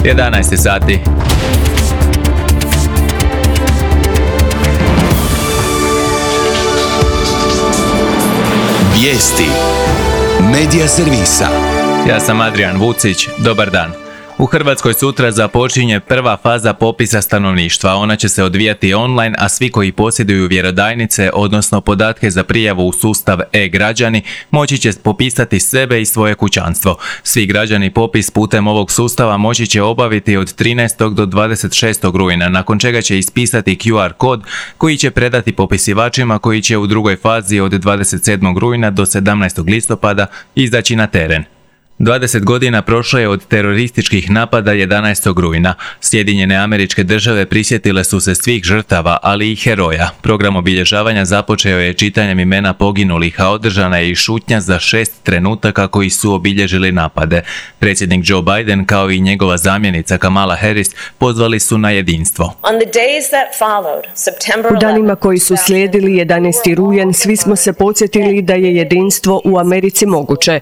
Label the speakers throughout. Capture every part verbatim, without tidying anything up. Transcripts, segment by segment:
Speaker 1: jedanaest sati.
Speaker 2: Vijesti Medija servisa.
Speaker 1: Ja sam Adrian Vucić, dobar dan. U Hrvatskoj sutra započinje prva faza popisa stanovništva. Ona će se odvijati online, a svi koji posjeduju vjerodajnice, odnosno podatke za prijavu u sustav e-građani, moći će popisati sebe i svoje kućanstvo. Svi građani popis putem ovog sustava moći će obaviti od trinaestog do dvadeset šestog rujna, nakon čega će ispisati Q R kod koji će predati popisivačima koji će u drugoj fazi od dvadeset sedmog rujna do sedamnaestog listopada izaći na teren. dvadeset godina prošlo je od terorističkih napada jedanaestog rujna. Sjedinjene Američke Države prisjetile su se svih žrtava, ali i heroja. Program obilježavanja započeo je čitanjem imena poginulih, a održana je i šutnja za šest trenutaka koji su obilježili napade. Predsjednik Joe Biden kao i njegova zamjenica Kamala Harris pozvali su na jedinstvo.
Speaker 3: U danima koji su slijedili jedanaesti rujan, svi smo se podsjetili da je jedinstvo u Americi moguće.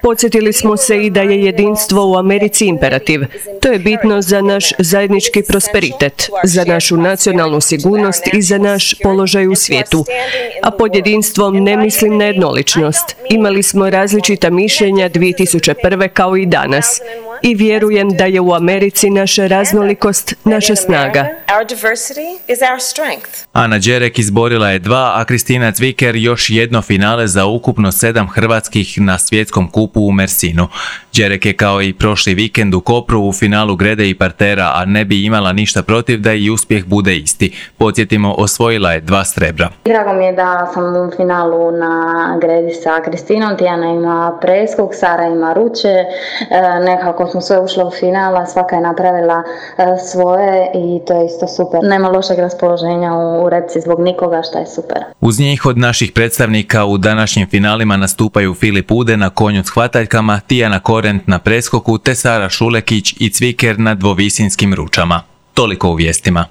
Speaker 3: Podsjetili smo se i da je jedinstvo u Americi imperativ. To je bitno za naš zajednički prosperitet, za našu nacionalnu sigurnost i za naš položaj u svijetu. A pod jedinstvom ne mislim na jednoličnost. Imali smo različita mišljenja dvije tisuće prve kao i danas. I vjerujem da je u Americi naša raznolikost naša snaga.
Speaker 1: Ana Đerek izborila je dva, a Kristina Cviker još jedno finale za ukupno sedam hrvatskih na svjetskom kupu u Mersinu. Đerek je kao i prošli vikend u Kopru u finalu grede i partera, a ne bi imala ništa protiv da i uspjeh bude isti. Podsjetimo, osvojila je dva srebra.
Speaker 4: Drago mi je da sam u finalu na gredi sa Kristinom, Tijana ima preskok, Sara ima ruče, e, nekako smo sve ušle u final, a svaka je napravila e, svoje i to je isto super. Nema lošeg raspoloženja u, u repci zbog nikoga, što je super.
Speaker 1: Uz njih od naših predstavnika u današnjim finalima nastupaju Filip Ude na konju s hvataljkama, Tijana Korent na preskoku te Sara Šulekić i Cviker na dvovisinskim ručama. Toliko u vijestima.